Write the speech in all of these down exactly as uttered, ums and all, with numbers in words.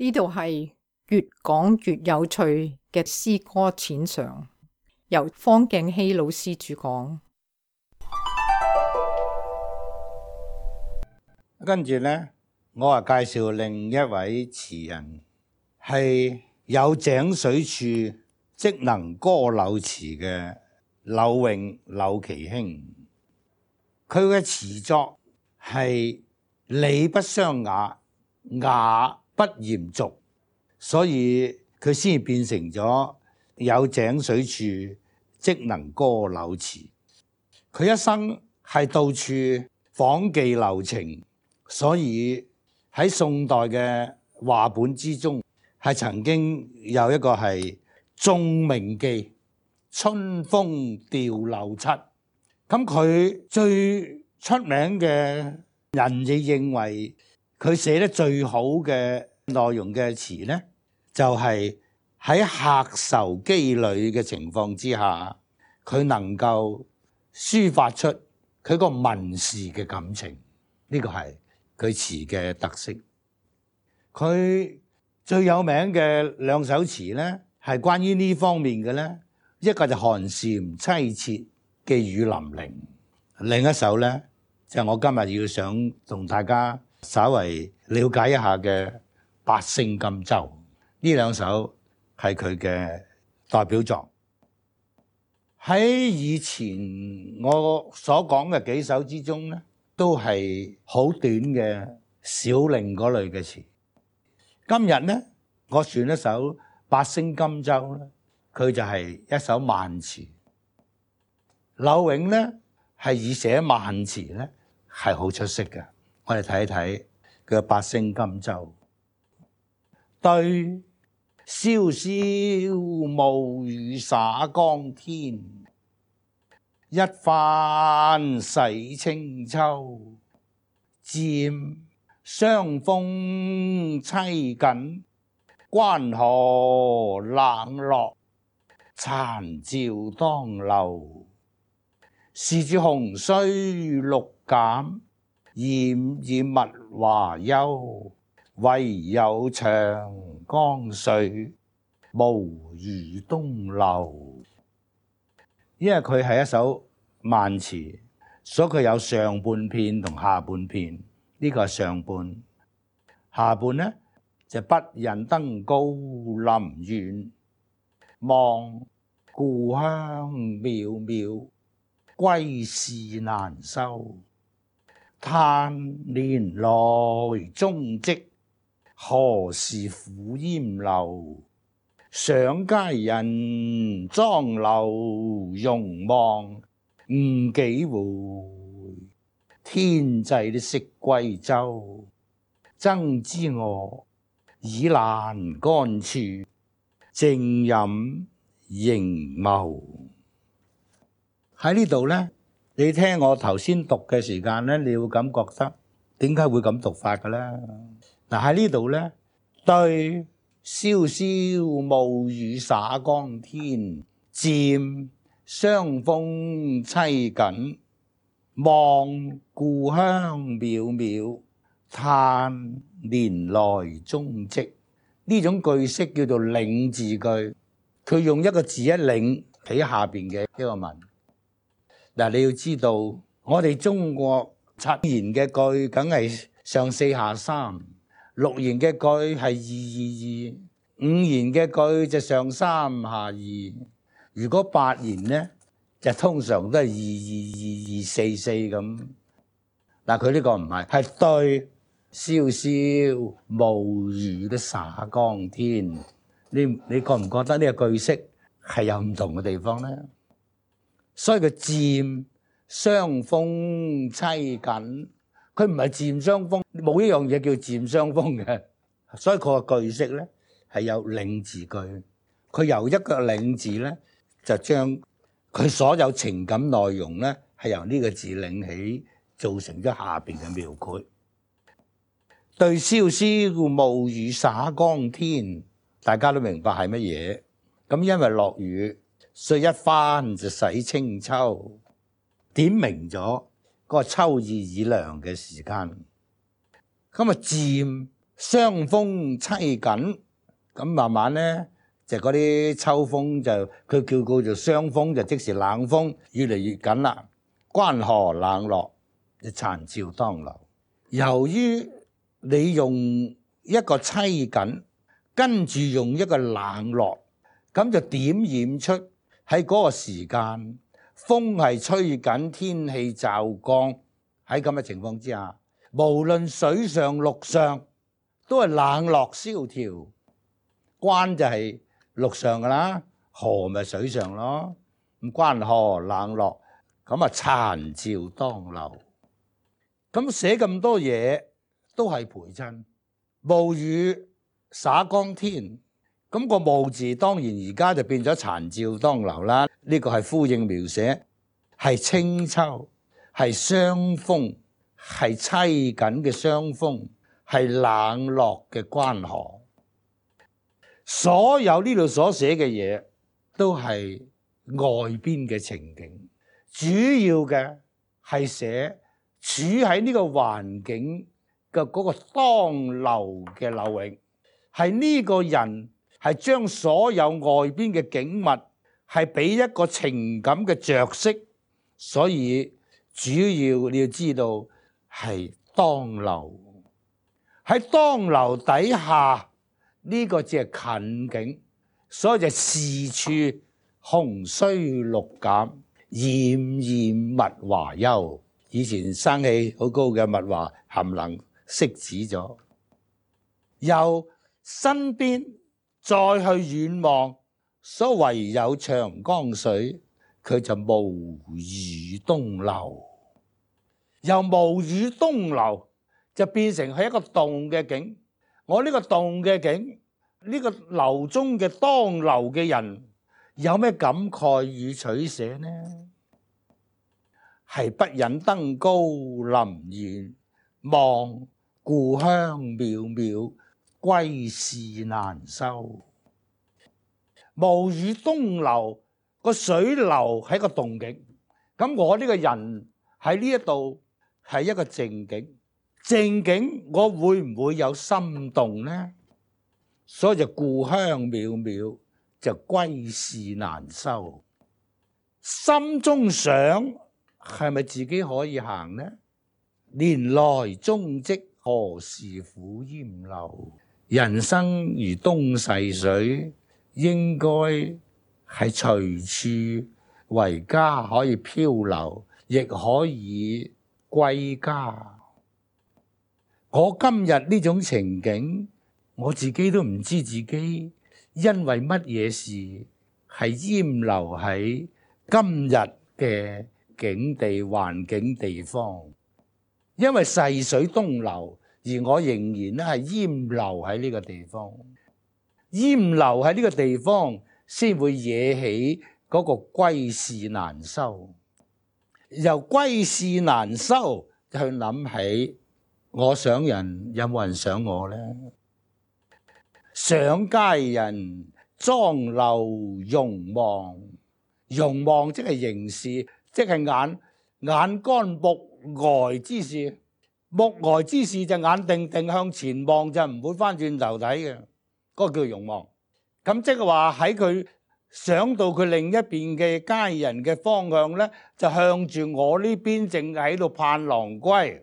呢度係越講越有趣嘅詩歌淺嘗，由方敬希老師主講。跟住呢，我啊介紹另一位詞人，係有井水處即能歌柳詞嘅柳永柳其興。佢嘅詞作係理不相雅，雅不嚴俗，所以佢先變成咗有井水處即能歌柳詞。佢一生係到處訪妓留情，所以喺宋代嘅話本之中係曾經有一個係眾名妓春風調柳七。咁佢最出名嘅人亦認為佢寫得最好嘅內容嘅詞呢，就係喺客愁羈旅嘅情況之下，佢能夠抒發出佢個文士嘅感情，呢個係佢詞嘅特色。佢最有名嘅兩首詞呢，係關於呢方面嘅呢，一個就寒蟬淒切嘅雨霖鈴，另一首呢，就係我今日要想同大家稍為了解一下嘅八聲甘州。呢兩首係佢嘅代表作。喺以前我所講嘅幾首之中呢，都係好短嘅小令嗰類嘅詞。今日呢，我選一首八聲甘州咧，佢就係一首慢詞。柳永呢係以寫慢詞呢係好出色嘅。我哋睇一睇佢嘅八聲甘州。對瀟瀟暮雨灑江天，一番洗清秋。漸霜風凄緊，關河冷落，殘照當流。是處洪水綠減，焱焱物華休。唯有長江水，無如東流。因為佢係一首慢詞，所以佢有上半片同下半片。呢個係上半，下半呢就不忍登高臨遠，望故鄉渺渺，歸事難收。嘆年來蹤跡，何時苦煙流。想佳人妝婁容望，誤幾回。天際的色歸舟，爭知我倚欄杆處，靜飲凝眸。喺呢度呢，你聽我頭先讀嘅時間呢，你會感覺得點解會咁讀法嘅咧？嗱，喺呢度呢，對瀟瀟暮雨灑江天，漸霜風凄緊，望故鄉渺渺，嘆年來蹤跡。呢種句式叫做領字句，佢用一個字一領喺下邊嘅一個文。嗱，你要知道，我哋中國七言嘅句梗係上四下三，六言嘅句係二二二，五言嘅句就上三下二。如果八言呢，就通常都係二二二二四四咁。嗱，佢呢個唔係，係對瀟瀟暮雨都灑江天。你你覺唔覺得呢個句式係有唔同嘅地方咧？所以佢漸霜風凄緊，佢唔係漸霜風，冇一樣嘢叫漸霜風嘅。所以佢個句式咧係有領字句，佢由一個領字咧就將佢所有情感內容咧係由呢個字領起，造成咗下邊嘅描繪。對瀟瀟暮雨灑江天，大家都明白係乜嘢？咁因為落雨，所以一番就洗清秋，點明咗嗰個秋意已涼嘅時間。咁啊漸霜風凄緊，咁慢慢咧就嗰啲秋風就佢叫叫做霜風，就即是冷風，越嚟越緊啦。關河冷落，殘照當流。由於你用一個凄緊，跟住用一個冷落，咁就點染出喺嗰個時間，風係吹緊，天氣驟降。喺咁嘅情況之下，無論水上陸上都係冷落蕭條。關就係陸上噶啦，河咪水上咯。咁關河冷落，咁啊殘照當流。咁寫咁多嘢都係陪襯。暮雨灑江天，咁個暮字當然而家就變咗殘照當流啦。呢個係呼應描寫，係清秋，係霜風，係凄緊嘅霜風，係冷落嘅關河。所有呢度所寫嘅嘢都係外邊嘅情景，主要嘅係寫處喺呢個環境嘅嗰個當流嘅流域，係呢個人係將所有外邊嘅景物係俾一個情感嘅着色，所以主要你要知道係當流。喺當流底下呢個只係近景，所以就是處紅衰綠減，艷艷物華休。以前生氣好高嘅物華含能熄止咗，由身邊再去遠望，所唯有長江水，佢就無語東流。由無語東流就變成係一個動嘅景。我呢個動嘅景，呢個流中嘅當流嘅人，有咩感慨與取捨呢？係不忍登高臨遠，望故鄉渺渺，歸事難收。無語東流，個水流係個動景，咁我呢個人喺呢一度係一個靜景。靜景我會唔會有心動呢？所以就故鄉渺渺，就歸事難收。心中想係咪自己可以行呢？年來蹤跡，何時苦淹流？人生如東逝水，應該係隨處為家，可以漂流，亦可以歸家。我今日呢種情景，我自己都唔知自己因為乜嘢事係淹留喺今日嘅境地環境地方，因為逝水東流，而我仍然咧係淹留喺呢個地方，淹留喺呢個地方先會惹起嗰個歸事難收。由歸事難收去諗起，我想人有冇人想我呢？想佳人妝鎏容望，容望即係凝視，即係眼眼乾目呆之事。目呆之事就眼定定向前望，就唔會翻轉頭睇嘅，嗰個叫容望。咁即係話喺佢想到佢另一邊嘅佳人嘅方向呢，就向住我呢邊正喺度盼郎歸。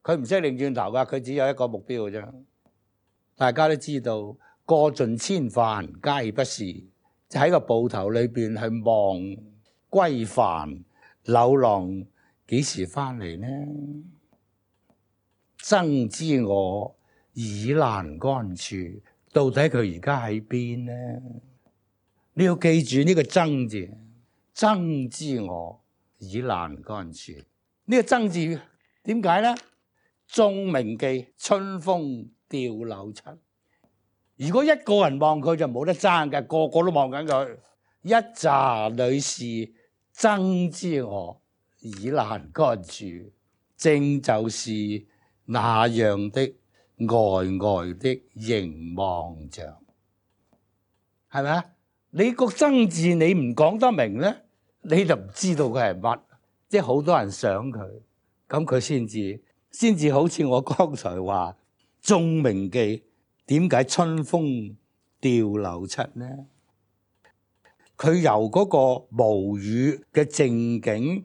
佢唔識擰轉頭噶，佢只有一個目標嘅啫。大家都知道，過盡千帆皆不是，就喺個埠頭裏邊去望歸帆，柳郎幾時翻嚟呢？爭知我已闌干處，到底佢而家喺邊呢？你要記住呢個爭字，爭知我已闌干處。呢個爭字點解呢？仲銘記春風掉柳七。如果一個人望佢就冇得爭嘅，個個都望緊佢。一紮女士爭知我已闌干處，正就是那樣的呆呆的凝望着，係咪啊？你個爭字你唔講得明咧，你就唔知道佢係乜。即係好多人想佢，咁佢先至先至好似我剛才話，眾鳴記點解春風掉柳七呢？佢由嗰個無語嘅靜境，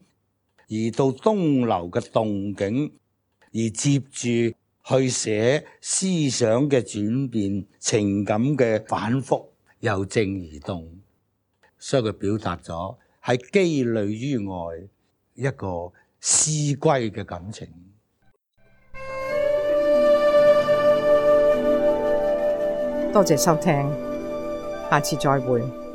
而到東流嘅動境，而接住去寫思想嘅轉變、情感嘅反覆，由靜而動，所以佢表達咗喺羈旅於外一個思歸嘅感情。多謝收聽，下次再會。